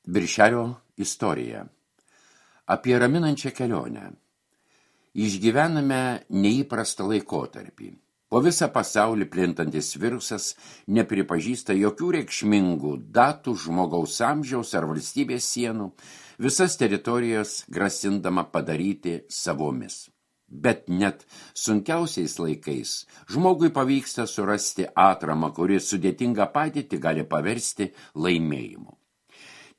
Viršelio istorija. Apie raminančią kelionę. Išgyvename neįprastą laikotarpį. Po visą pasaulį plintantis virusas nepripažįsta jokių reikšmingų datų, žmogaus amžiaus ar valstybės sienų, visas teritorijas grasindama padaryti savomis. Bet net sunkiausiais laikais žmogui pavyksta surasti atramą, kuri sudėtingą padėtį gali paversti laimėjimu.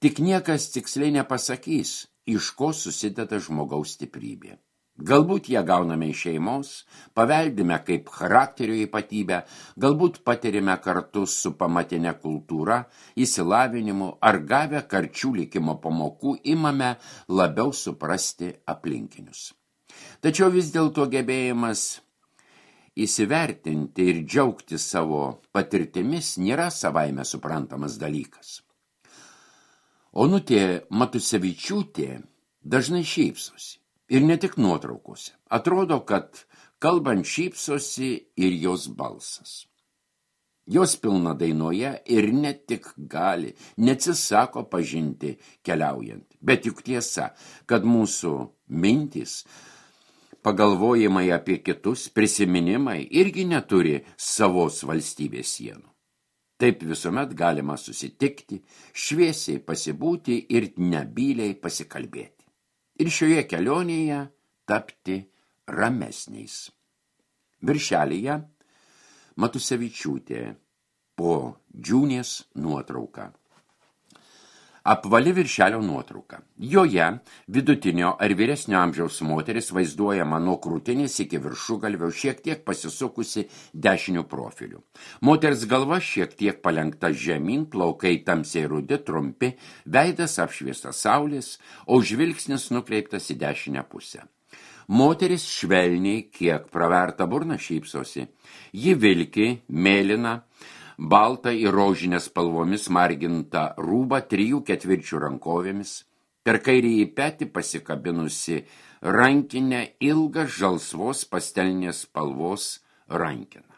Tik niekas tiksliai nepasakys, iš ko susideda žmogaus stiprybė. Galbūt ją gauname iš šeimos, paveldime kaip charakterio ypatybę, galbūt patirime kartu su pamatinė kultūra, išsilavinimu ar gavę karčių likimo pamokų imame labiau suprasti aplinkinius. Tačiau vis dėlto gebėjimas įsivertinti ir džiaugti savo patirtimis nėra savaime suprantamas dalykas. Onutė Matusevičiūtė dažnai šypsosi. Ir ne tik nuotraukose. Atrodo, kad kalbant šypsosi ir jos balsas. Jos pilna dainoje ir ne tik gali, neatsisako pažinti keliaujant. Bet juk tiesa, kad mūsų mintys, pagalvojimai apie kitus, prisiminimai irgi neturi savos valstybės sienų. Taip visuomet galima susitikti, šviesiai pasibūti ir nebyliai pasikalbėti. Ir šioje kelionėje tapti ramesniais. Viršelyje Matusevičiūtė po Džiūnės nuotrauka. Apvali viršelio nuotrauka. Joje vidutinio ar vyresnio amžiaus moteris vaizduojama nuo krūtinės iki viršugalvio šiek tiek pasisukusi dešiniu profiliu. Moters galva šiek tiek palenkta žemyn, plaukai tamsiai rudi, trumpi, veidas apšviestas saulės, o žvilgsnis nukreiptas į dešinę pusę. Moteris švelniai, kiek praverta burna šypsosi. Ji vilki, mėlyna, balta ir rožinės spalvomis marginta rūba 3/4 rankovėmis, per kairįjį petį pasikabinusi rankinę ilgą žalsvos pastelinės spalvos rankeną.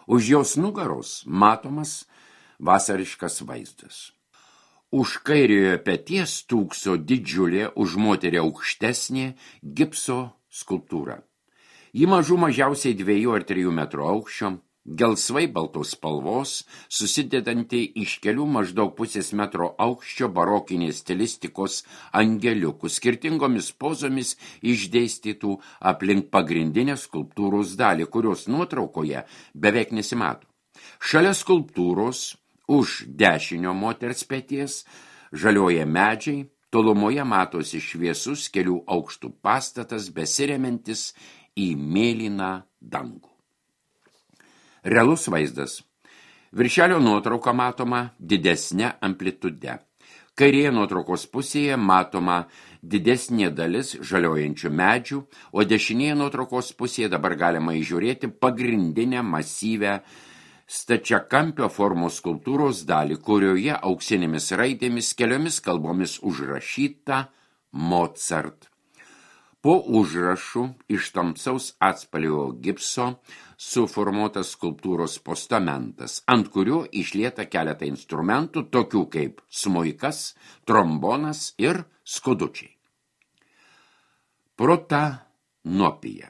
Už jos nugaros matomas vasariškas vaizdas. Už kairiojo peties stūkso didžiulė, už moterį aukštesnė gipso skulptūra. Ji mažiausiai 2 ar 3 metrų aukščio, gelsvai baltos spalvos, susidedanti iš kelių maždaug 0,5 metro aukščio barokinės stilistikos angeliukų, skirtingomis pozomis išdėstytų aplink pagrindinę skulptūros dalį, kurios nuotraukoje beveik nesimato. Šalia skulptūros, už dešinio moters peties, žalioja medžiai, tolumoje matosi šviesus kelių aukštų pastatas, besiremiantis į mėlyną dangų. Realus vaizdas. Viršelio nuotrauka matoma didesnė amplitude. Kairėje nuotraukos pusėje matoma didesnė dalis žaliojančių medžių, o dešinėje nuotraukos pusėje dabar galima įžiūrėti pagrindinę masyvę stačiakampio formos skulptūros dalį, kurioje auksinėmis raidėmis keliomis kalbomis užrašyta Mozart. Po užrašų iš tamsaus atspalvio gipso suformuotas skulptūros postamentas, ant kurio išlieta keletą instrumentų, tokių kaip smuikas, trombonas ir skudučiai. Protanopija.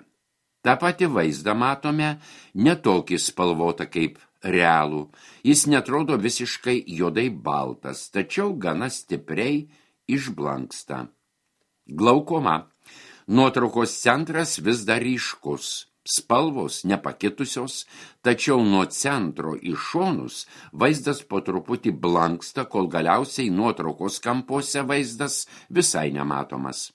Ta pati vaizdą matome netokį spalvotą kaip realų. Jis netrodo visiškai juodai baltas, tačiau gana stipriai išblanksta. Glaukoma. Nuotraukos centras vis dar ryškus, spalvos nepakitusios, tačiau nuo centro į šonus vaizdas po truputį blanksta, kol galiausiai nuotraukos kampuose vaizdas visai nematomas.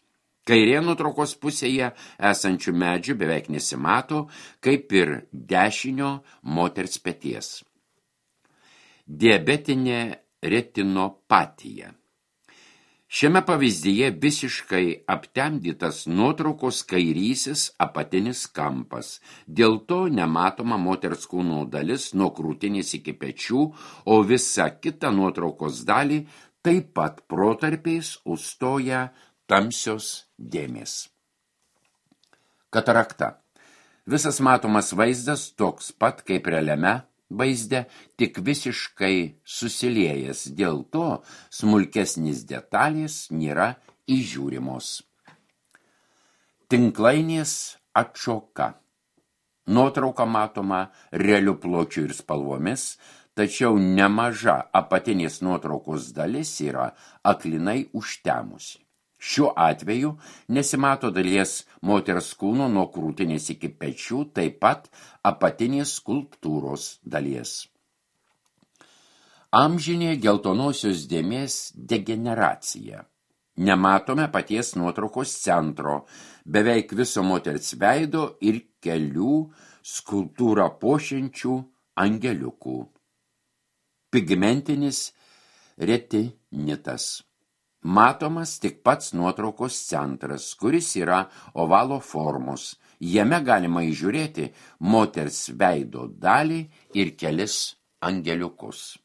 Kairė nuotraukos pusėje esančių medžių beveik nesimato, kaip ir dešinio moters peties. Diabetinė retinopatija. Šiame pavyzdyje visiškai aptemdytas nuotraukos kairysis apatinis kampas. Dėl to nematoma moters kūno dalis nuo krūtinės iki pečių, o visa kita nuotraukos dalį taip pat protarpiais užstoja tamsios dėmės. Katarakta. Visas matomas vaizdas toks pat kaip realiame vaizde tik visiškai susiliejęs, dėl to smulkesnis detalės nėra įžiūrimos. Tinklainės atšoka. Nuotrauka matoma realiu pločiu ir spalvomis, tačiau nemaža apatinės nuotraukos dalis yra aklinai užtemusi. Šiuo atveju nesimato dalies moters kūno nuo krūtinės iki pečių, taip pat apatinės skulptūros dalies. Amžinė geltonosios dėmės degeneracija. Nematome paties nuotraukos centro, beveik viso moters veido ir kelių skulptūrą puošiančių angeliukų. Pigmentinis retinitas. Matomas tik pats nuotraukos centras, kuris yra ovalo formos. Jame galima įžiūrėti moters veido dalį ir kelis angeliukus.